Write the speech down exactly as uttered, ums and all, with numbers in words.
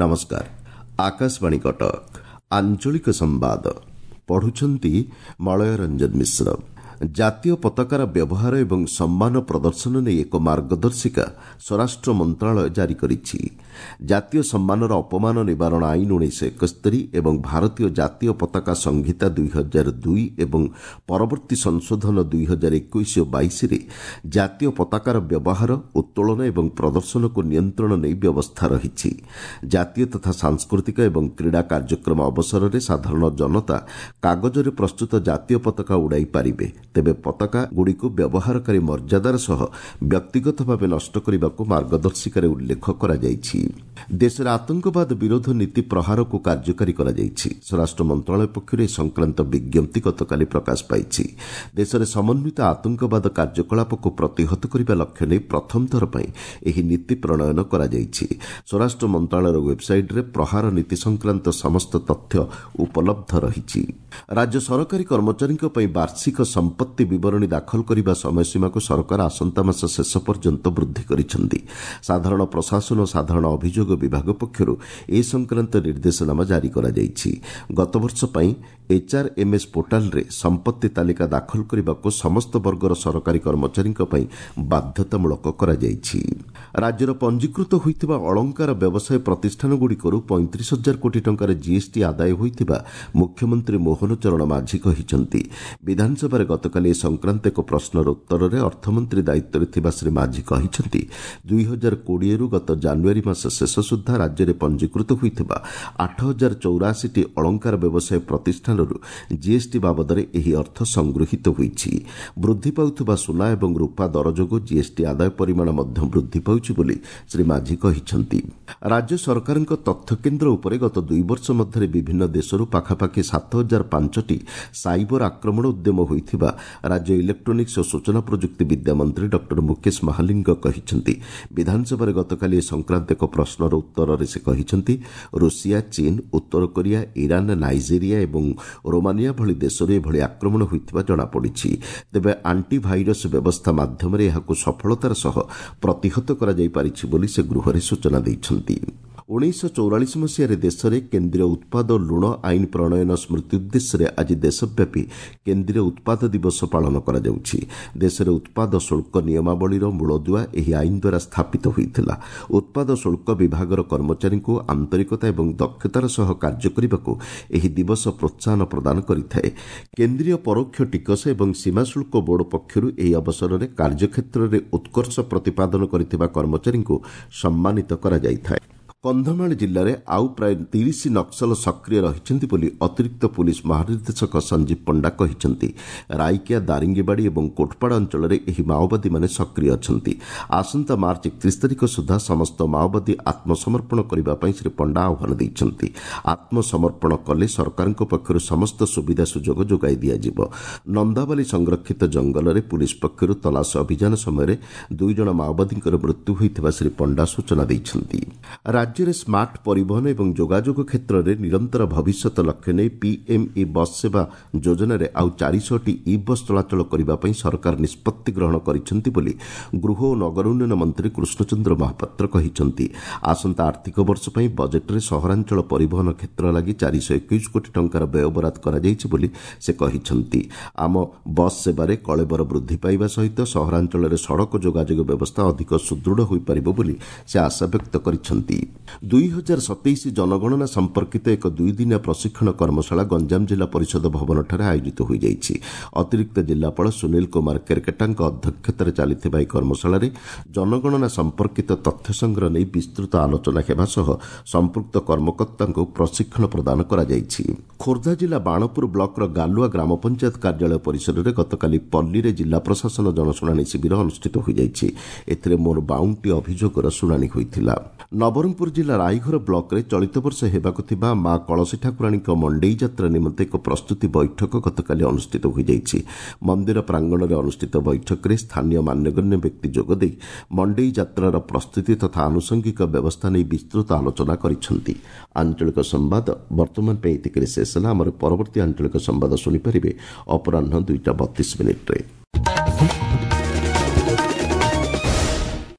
ନମସ୍କାର, ଆକାଶବାଣୀ କଟକ, ଆଞ୍ଚଳିକ ସମ୍ବାଦ ପଢୁଛନ୍ତି ମଳୟ ରଞ୍ଜନ ମିଶ୍ର। ଜାତୀୟ ପତାକାର ବ୍ୟବହାର ଏବଂ ସମ୍ମାନ ପ୍ରଦର୍ଶନ ନେଇ ଏକ ମାର୍ଗଦର୍ଶିକା ସ୍ୱରାଷ୍ଟ୍ର ମନ୍ତ୍ରଣାଳୟ ଜାରି କରିଛି। ଜାତୀୟ ସମ୍ମାନର ଅପମାନ ନିବାରଣ ଆଇନ ଉଣେଇଶହ ଏକସ୍ତରୀ ଏବଂ ଭାରତୀୟ ଜାତୀୟ ପତାକା ସଂହିତା ଦୁଇ ହଜାର ଦୁଇ ଏବଂ ପରବର୍ତ୍ତୀ ସଂଶୋଧନ ଦୁଇ ହଜାର ଏକୋଇଶ ଓ ବାଇଶରେ ଜାତୀୟ ପତାକାର ବ୍ୟବହାର, ଉତ୍ତୋଳନ ଏବଂ ପ୍ରଦର୍ଶନକୁ ନିୟନ୍ତ୍ରଣ ନେଇ ବ୍ୟବସ୍ଥା ରହିଛି। ଜାତୀୟ ତଥା ସାଂସ୍କୃତିକ ଏବଂ କ୍ରୀଡ଼ା କାର୍ଯ୍ୟକ୍ରମ ଅବସରରେ ସାଧାରଣ ଜନତା କାଗଜରେ ପ୍ରସ୍ତୁତ ଜାତୀୟ ପତାକା ଉଡ଼ାଇ ପାରିବେ। ତେବେ ପତାକା ଗୁଡ଼ିକୁ ବ୍ୟବହାରକାରୀ ମର୍ଯ୍ୟାଦାର ସହ ବ୍ୟକ୍ତିଗତ ଭାବେ ନଷ୍ଟ କରିବାକୁ ମାର୍ଗଦର୍ଶିକାରେ ଉଲ୍ଲେଖ କରାଯାଇଛି। ଦେଶରେ ଆତଙ୍କବାଦ ବିରୋଧ ନୀତି ପ୍ରହାରକୁ କାର୍ଯ୍ୟକାରୀ କରାଯାଇଛି। ସ୍ୱରାଷ୍ଟ୍ର ମନ୍ତ୍ରଣାଳୟ ପକ୍ଷରୁ ଏ ସଂକ୍ରାନ୍ତ ବିଜ୍ଞପ୍ତି ଗତକାଲି ପ୍ରକାଶ ପାଇଛି। ଦେଶରେ ସମନ୍ୱିତ ଆତଙ୍କବାଦ କାର୍ଯ୍ୟକଳାପକୁ ପ୍ରତିହତ କରିବା ଲକ୍ଷ୍ୟ ନେଇ ପ୍ରଥମ ଥର ପାଇଁ ଏହି ନୀତି ପ୍ରଣୟନ କରାଯାଇଛି। ସ୍ୱରାଷ୍ଟ୍ର ମନ୍ତ୍ରଣାଳୟର ୱେବ୍ସାଇଟ୍ରେ ପ୍ରହାର ନୀତି ସଂକ୍ରାନ୍ତ ସମସ୍ତ ତଥ୍ୟ ଉପଲବ୍ଧ ରହିଛି। ରାଜ୍ୟ ସରକାରୀ କର୍ମଚାରୀଙ୍କ ପାଇଁ ବାର୍ଷିକ ସମ୍ପତ୍ତି ବିବରଣୀ ଦାଖଲ କରିବା ସମୟସୀମାକୁ ସରକାର ଆସନ୍ତା ମାସ ଶେଷ ପର୍ଯ୍ୟନ୍ତ ବୃଦ୍ଧି କରିଛନ୍ତି। ସାଧାରଣ ପ୍ରଶାସନ ଓ ସାଧାରଣ ଅଭିଯୋଗ ବିଭାଗ ପକ୍ଷରୁ ଏ ସଂକ୍ରାନ୍ତ ନିର୍ଦ୍ଦେଶନାମା ଜାରି କରାଯାଇଛି। ଗତବର୍ଷ ପାଇଁ ଏଚ୍ଆର୍ଏମ୍ଏସ୍ ପୋର୍ଟାଲରେ ସମ୍ପତ୍ତି ତାଲିକା ଦାଖଲ କରିବାକୁ ସମସ୍ତ ବର୍ଗର ସରକାରୀ କର୍ମଚାରୀଙ୍କ ପାଇଁ ବାଧ୍ୟତାମୂଳକ କରାଯାଇଛି। ରାଜ୍ୟର ପଞ୍ଜୀକୃତ ହୋଇଥିବା ଅଳଙ୍କାର ବ୍ୟବସାୟ ପ୍ରତିଷ୍ଠାନଗୁଡ଼ିକରୁ ପଇଁତିରିଶ ହଜାର କୋଟି ଟଙ୍କାର ଜିଏସ୍ଟି ଆଦାୟ ହୋଇଥିବା ମୁଖ୍ୟମନ୍ତ୍ରୀ ମୋହନ ଚରଣ ମାଝୀ କହିଛନ୍ତି। ବିଧାନସଭାରେ ଗତକାଲି ଏ ସଂକ୍ରାନ୍ତ ଏକ ପ୍ରଶ୍ନର ଉତ୍ତରରେ ଅର୍ଥମନ୍ତ୍ରୀ ଦାୟିତ୍ୱରେ ଥିବା ଶ୍ରୀ ମାଝୀ କହିଛନ୍ତି, ଦୁଇ ହଜାର କୋଡ଼ିଏରୁ ଗତ ଜାନୁଆରୀ ମାସ ଶେଷ ସୁଦ୍ଧା ରାଜ୍ୟରେ ପଞ୍ଜୀକୃତ ହୋଇଥିବା ଆଠ ହଜାର ଚଉରାଅଶୀଟି ଅଳଙ୍କାର ବ୍ୟବସାୟ ପ୍ରତିଷ୍ଠାନରୁ ଜିଏସ୍ଟି ବାବଦରେ ଏହି ଅର୍ଥ ସଂଗୃହୀତ ହୋଇଛି। ବୃଦ୍ଧି ପାଉଥିବା ସୁନା ଏବଂ ରୂପା ଦର ଯୋଗୁଁ ଜିଏସ୍ଟି ଆଦାୟ ପରିମାଣ ମଧ୍ୟ ବୃଦ୍ଧି ପାଉଛି ବୋଲି ଶ୍ରୀ ମାଝୀ କହିଛନ୍ତି। ରାଜ୍ୟ ସରକାରଙ୍କ ତଥ୍ୟ କେନ୍ଦ୍ର ଉପରେ ଗତ ଦୁଇ ବର୍ଷ ମଧ୍ୟରେ ବିଭିନ୍ନ ଦେଶରୁ ପାଖାପାଖି ସାତ ହଜାର ପାଞ୍ଚଟି ସାଇବର ଆକ୍ରମଣ ଉଦ୍ୟମ ହୋଇଥିବା ରାଜ୍ୟ ଇଲେକ୍ଟ୍ରୋନିକ୍ସ ଓ ସୂଚନା ପ୍ରଯୁକ୍ତି ବିଦ୍ୟା ମନ୍ତ୍ରୀ ଡକ୍ଟର ମୁକେଶ ମହାଲିଙ୍ଗ କହିଛନ୍ତି। ବିଧାନସଭାରେ ଗତକାଲି ଏ ସଂକ୍ରାନ୍ତ ଏକ ପ୍ରଶ୍ନର ଉତ୍ତରରେ ସେ କହିଛନ୍ତି, ରୁଷିଆ, ଚୀନ, ଉତ୍ତର କୋରିଆ, ଇରାନ, ନାଇଜେରିଆ ଏବଂ ରୋମାନିଆ ଭଳି ଦେଶରୁ ଏଭଳି ଆକ୍ରମଣ ହୋଇଥିବା ଜଣାପଡ଼ିଛି। ତେବେ ଆଣ୍ଟି ଭାଇରସ୍ ବ୍ୟବସ୍ଥା ମାଧ୍ୟମରେ ଏହାକୁ ସଫଳତାର ସହ ପ୍ରତିହତ କରାଯାଇପାରିଛି ବୋଲି ସେ ଗୃହରେ ସୂଚନା ଦେଇଛନ୍ତି। ଉଣେଇଶହ ଚଉରାଳିଶ ମସିହାରେ ଦେଶରେ କେନ୍ଦ୍ରୀୟ ଉତ୍ପାଦ ଲୁଣ ଆଇନ ପ୍ରଣୟନ ସ୍ମୃତି ଉଦ୍ଦେଶ୍ୟରେ ଆଜି ଦେଶବ୍ୟାପୀ କେନ୍ଦ୍ରୀୟ ଉତ୍ପାଦ ଦିବସ ପାଳନ କରାଯାଉଛି। ଦେଶରେ ଉତ୍ପାଦ ଶୁଳ୍କ ନିୟମାବଳୀର ମୂଳଦୁଆ ଏହି ଆଇନ ଦ୍ୱାରା ସ୍ଥାପିତ ହୋଇଥିଲା। ଉତ୍ପାଦ ଶୁଳ୍କ ବିଭାଗର କର୍ମଚାରୀଙ୍କୁ ଆନ୍ତରିକତା ଏବଂ ଦକ୍ଷତାର ସହ କାର୍ଯ୍ୟ କରିବାକୁ ଏହି ଦିବସ ପ୍ରୋତ୍ସାହନ ପ୍ରଦାନ କରିଥାଏ। କେନ୍ଦ୍ରୀୟ ପରୋକ୍ଷ ଟିକସ ଏବଂ ସୀମା ଶୁଳ୍କ ବୋର୍ଡ ପକ୍ଷରୁ ଏହି ଅବସରରେ କାର୍ଯ୍ୟକ୍ଷେତ୍ରରେ ଉତ୍କର୍ଷ ପ୍ରତିପାଦନ କରିଥିବା କର୍ମଚାରୀଙ୍କୁ ସମ୍ମାନିତ କରାଯାଇଥାଏ। କନ୍ଧମାଳ ଜିଲ୍ଲାରେ ଆଉ ପ୍ରାୟ ତିରିଶ ନକ୍ସଲ ସକ୍ରିୟ ରହିଛନ୍ତି ବୋଲି ଅତିରିକ୍ତ ପୁଲିସ୍ ମହାନିର୍ଦ୍ଦେଶକ ସଞ୍ଜୀବ ପଣ୍ଡା କହିଛନ୍ତି। ରାଇକିଆ, ଦାରିଙ୍ଗିବାଡ଼ି ଏବଂ କୋଟପାଡ଼ ଅଞ୍ଚଳରେ ଏହି ମାଓବାଦୀମାନେ ସକ୍ରିୟ ଅଛନ୍ତି। ଆସନ୍ତା ମାର୍ଚ୍ଚ ଏକତିରିଶ ତାରିଖ ସୁଦ୍ଧା ସମସ୍ତ ମାଓବାଦୀ ଆତ୍ମସମର୍ପଣ କରିବା ପାଇଁ ଶ୍ରୀ ପଣ୍ଡା ଆହ୍ୱାନ ଦେଇଛନ୍ତି। ଆତ୍ମସମର୍ପଣ କଲେ ସରକାରଙ୍କ ପକ୍ଷରୁ ସମସ୍ତ ସୁବିଧା ସୁଯୋଗ ଯୋଗାଇ ଦିଆଯିବ। ନନ୍ଦାବାଲି ସଂରକ୍ଷିତ ଜଙ୍ଗଲରେ ପୁଲିସ୍ ପକ୍ଷରୁ ତଲାସ ଅଭିଯାନ ସମୟରେ ଦୁଇ ଜଣ ମାଓବାଦୀଙ୍କର ମୃତ୍ୟୁ ହୋଇଥିବା ଶ୍ରୀ ପଣ୍ଡା ସୂଚନା ଦେଇଛନ୍ତି। ରାଜ୍ୟରେ ସ୍ମାର୍ଟ ପରିବହନ ଏବଂ ଯୋଗାଯୋଗ କ୍ଷେତ୍ରରେ ନିରନ୍ତର ଭବିଷ୍ୟତ ଲକ୍ଷ୍ୟ ନେଇ ପିଏମ୍ଇ ବସ୍ ସେବା ଯୋଜନାରେ ଆଉ ଚାରିଶହଟି ଇ ବସ୍ ଚଳାଚଳ କରିବା ପାଇଁ ସରକାର ନିଷ୍ପତ୍ତି ଗ୍ରହଣ କରିଛନ୍ତି ବୋଲି ଗୃହ ଓ ନଗର ଉନ୍ନୟନ ମନ୍ତ୍ରୀ କୃଷ୍ଣଚନ୍ଦ୍ର ମହାପାତ୍ର କହିଛନ୍ତି। ଆସନ୍ତା ଆର୍ଥିକ ବର୍ଷ ପାଇଁ ବଜେଟ୍ରେ ସହରାଞ୍ଚଳ ପରିବହନ କ୍ଷେତ୍ର ଲାଗି ଚାରିଶହ ଏକୋଇଶ କୋଟି ଟଙ୍କାର ବ୍ୟୟବରାଦ କରାଯାଇଛି ବୋଲି ସେ କହିଛନ୍ତି। ଆମ ବସ୍ ସେବାରେ କଳେବର ବୃଦ୍ଧି ପାଇବା ସହିତ ସହରାଞ୍ଚଳରେ ସଡ଼କ ଯୋଗାଯୋଗ ବ୍ୟବସ୍ଥା ଅଧିକ ସୁଦୃଢ଼ ହୋଇପାରିବ ବୋଲି ସେ ଆଶା ବ୍ୟକ୍ତ କରିଛନ୍ତି। ଦୁଇ ହଜାର ସତେଇଶ ଜନଗଣନା ସମ୍ପର୍କିତ ଏକ ଦୁଇଦିନିଆ ପ୍ରଶିକ୍ଷଣ କର୍ମଶାଳା ଗଞ୍ଜାମ ଜିଲ୍ଲା ପରିଷଦ ଭବନଠାରେ ଆୟୋଜିତ ହୋଇଯାଇଛି। ଅତିରିକ୍ତ ଜିଲ୍ଲାପାଳ ସୁନୀଲ କୁମାର କେରକେଟାଙ୍କ ଅଧ୍ୟକ୍ଷତାରେ ଚାଲିଥିବା ଏହି କର୍ମଶାଳାରେ ଜନଗଣନା ସମ୍ପର୍କିତ ତଥ୍ୟ ସଂଗ୍ରହ ନେଇ ବିସ୍ତୃତ ଆଲୋଚନା ହେବା ସହ ସମ୍ପୃକ୍ତ କର୍ମକର୍ତ୍ତାଙ୍କୁ ପ୍ରଶିକ୍ଷଣ ପ୍ରଦାନ କରାଯାଇଛି। ଖୋର୍ଦ୍ଧା ଜିଲ୍ଲା ବାଣପୁର ବ୍ଲକର ଗାଲୁଆ ଗ୍ରାମ ପଞ୍ଚାୟତ କାର୍ଯ୍ୟାଳୟ ପରିସରରେ ଗତକାଲି ପଲ୍ଲୀରେ ଜିଲ୍ଲା ପ୍ରଶାସନ ଜନଶୁଣାଣି ଶିବିର ଅନୁଷ୍ଠିତ ହୋଇଯାଇଛି। ଏଥିରେ ମୋର ବାଉନଟି ଅଭିଯୋଗର ଶୁଣାଣି ହୋଇଥିଲା। ନବରଙ୍ଗପୁର ଜିଲ୍ଲା ରାଇଘର ବ୍ଲକରେ ଚଳିତ ବର୍ଷ ହେବାକୁ ଥିବା ମା କଳସୀ ଠାକୁରାଣୀଙ୍କ ମଣ୍ଡେଇ ଯାତ୍ରା ନିମନ୍ତେ ଏକ ପ୍ରସ୍ତୁତି ବୈଠକ ଗତକାଲି ଅନୁଷ୍ଠିତ ହୋଇଯାଇଛି। ମନ୍ଦିର ପ୍ରାଙ୍ଗଣରେ ଅନୁଷ୍ଠିତ ବୈଠକରେ ସ୍ଥାନୀୟ ମାନ୍ୟଗଣ୍ୟ ବ୍ୟକ୍ତି ଯୋଗଦେଇ ମଣ୍ଡେଇ ଯାତ୍ରାର ପ୍ରସ୍ତୁତି ତଥା ଆନୁଷଙ୍ଗିକ ବ୍ୟବସ୍ଥା ନେଇ ବିସ୍ତୃତ ଆଲୋଚନା କରିଛନ୍ତି। ଆଞ୍ଚଳିକ ସମ୍ବାଦ ବର୍ତ୍ତମାନ ପାଇଁ ଏତିକିରେ ଶେଷ ହେଲା। ଆମର ପରବର୍ତ୍ତୀ ଆଞ୍ଚଳିକ ସମ୍ବାଦ ଶୁଣିପାରିବେ ଅପରାହ୍ନ ଦୁଇଟା ବତିଶ ମିନିଟ୍ରେ।